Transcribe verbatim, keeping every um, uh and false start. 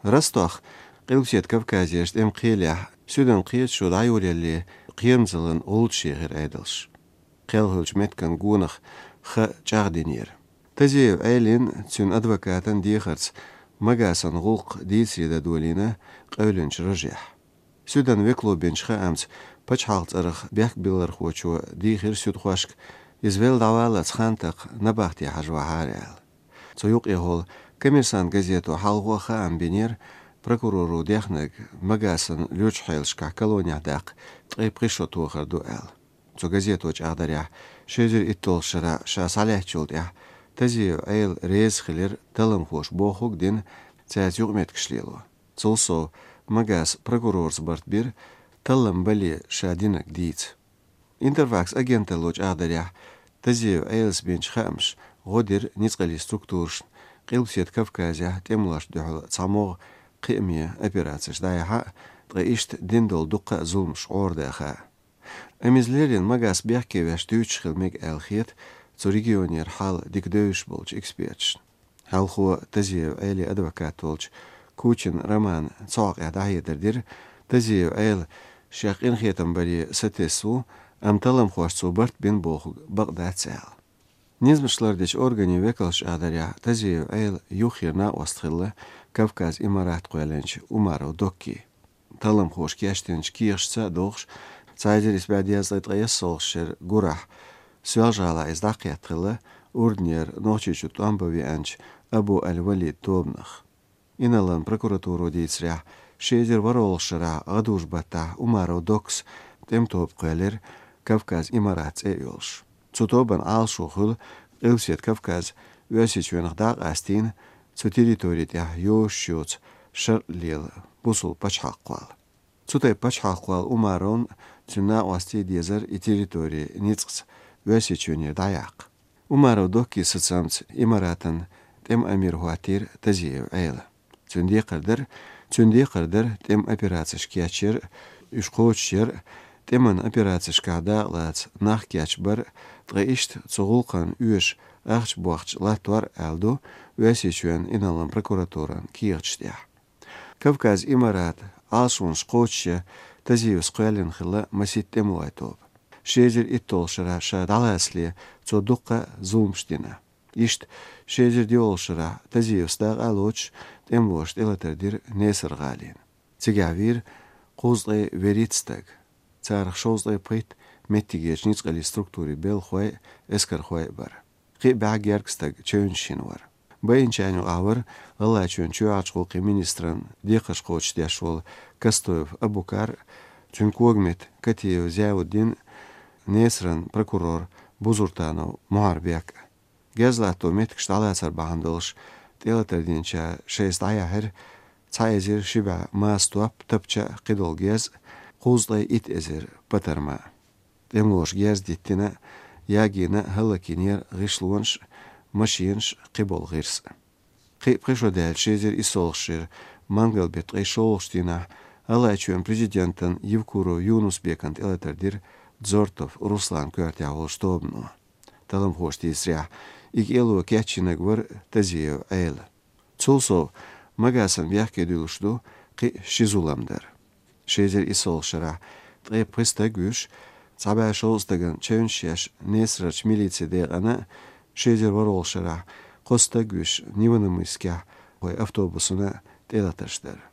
Ростохь, Къилбаседа Кавказерчу тӀеман кхелехь, Суьдан кхеташо дӀайолаяле кхерамзаллин гӀулчаш ехира Ӏедалш. Кхел хуьлучу меттан гонах хан чӀагӀдинера. Тазиев Ӏелин, цуьнан адвокатан дехарца Магасан гӀуллакх дийцаре дан долийна къевлинчу рожехь. Суьдан векало бинчу хаамца, пачхьалкх цӀарах бехкбиллархочо дийхира суьдхошка, иза велла дӀаваллалц хан такха набахте хьажа вахьара аьлла. Цу юкъехула «Коммерсант» газето хьалхо а хаам бинера, прокуроро дехнарг Магасан лоьрачу хьелашкахь колонехь даккха ткъе пхи шо тохар ду аьлла. Цу газето чӀагӀдарехь, ши эзар итталгӀачу шарахь ша схьалаьцначул тӀаьхьа Тазиев Ӏела реза хилира талламхоша бохург дина цаьрца юкъаметтигаш лело. Цул сов, Магас прокурорца барт бира, таллам бале ша динарг дийца. «Интерфакс» агенталло чӀагӀдарехь, Тазиев Ӏелас бинчу хаамаша гӀо дира ницкъаллин структурашна Къилбаседа Кавказехь тӀемалошна дуьхьал цхьамогӀа кхиаме операцеш дӀаяхьа а, ткъа иштта дина долу дуккха а зуламаш гӀарадаха а. Амма иза леррина Магас бехке веш дуьйцуш хила мега аьлла хета цу регионера хьал дика девзаш болчу эксперташна. Хьалхо Тазиев Ӏелин адвокат волчу Кучин Романа цу хьокъехь дӀахьедар дира, Тазиев Ӏела шех къинхетам баре сатесна ву, амма талламхоша цо барт бина бохург бакъ дац аьлла. Низамаш лардечу органийн векалша чӀагӀдарехь, Тазиев Ӏела юххера накъост хилла Кавказ Имарат кхоьллинчу Умаров Доккин. Талламхоша кечдинчу кехаташца а догӀуш, цхьа эзар исс бӀе дезткъе ткъайоьсналгӀачу шеран гурахь Соьлжа-ГӀалахь иза дӀакхетта хилла Урданера Нохчийчу тӀом бан веанчу Абу аль-Валид тобанах. Инарлин прокуратуро дийцарехь, ши эзар ворхӀалгӀачу шарахь гӀадужу-баттахь Умаров Доккас тӀеман тоба кхоьллира, Кавказ Имарат цӀе а йолуш. Цу тобанан Ӏалашо хуьлу Къилбаседа Кавказ Оьрсийчоьнах дӀа а къастийна, цу территори тӀехь йозуш йоцу шарӀ лела бусалба пачхьалкх кхолла. Цу тайпа пачхьалкх кхолла Умаровн а, цуьнан накъостий а дезара и территори ницкъаца Оьрсийчоьнера дӀаяккха. Умаров Доккин сацамца Имаратан тӀеман амир хӀоттийра Тазиев Ӏела. Цуьнан декхар дара, цуьнан декхар дара тӀеман операцеш кечъяр а, уьш кхочушъяр а, тӀеман операцешкахь дакъалаца нах кечбар а, ткъа иштта цу гӀуллакхна оьшу ахча бохча латтор а аьлла ду Оьрсийчоьнан инарлин прокуратуран кехаташ тӀехь. Кавказ Имарат Ӏалашонаш кхочушъян Тазиевс кхоьллина хилла масийтта тӀемалойн тоба. Ши эзар итталгӀачу шарахь ша дӀалацале цо дуккха а зуламаш дина. Иштта, ши эзар диъалгӀачу шарахь Тазиевс дакъа а лоцуш, тӀемалоша тӀелатар дира Несар-гӀалина. Цигахь вийра кхузткъе вуьрхӀитта стаг. Царах шовзткъе пхийтта меттигерчу ницкъаллин структурийн белхахой а, эскархой а бара. Кхин а бӀе гергга стаг чевнаш йина вара. Байинчарна юкъахь вара ГӀалгӀайчоьнан чоьхьарчу гӀуллакхийн министран декхарш кхочушдеш волу Костоев Абукар а, цуьнан когаметта Катиев Зиауддин а, Несаран прокурор Бузуртанов Мухьарбек а. Герз латто меттигаш дӀалацар бахьана долуш тӀелатар динчара шайца дӀаяьхьира цхьа эзар ши бӀе маса топ, тапча а, кхидолу герз а, кхузткъе итт эзар патарма а. ТӀемалоша герз диттина а, ягийна а, хӀаллакйинера гӀишлонаш а, машенаш а, кхиболу гӀирс а. Кхин а пхи шо даьлча, ши эзар иссалгӀачу шеран мангал беттан ткъе шолгӀачу дийнахь ГӀалгӀайчоьнан президентан Евкуров Юнус-Бекан тӀелатар дира Дзортов Русланан коьртехь волчу тобано. Талламхоша дийцарехь, и кӀело кечйинарг вара Тазиев Ӏела. Цул сов, Магасан бехке дуьллуш ду кхин а ши зулам дар. Ши эзар иссалгӀачу шарахь ткъе пхи стаг вуьйш, цхьа бӀе шовзткъа стагана чевнаш еш Несарарчу милицин декъана а, ши эзар ворхӀалгӀачу шарахь кхо стаг вуьйш Невинномысскехь вай автобусана а тӀелатарш дара.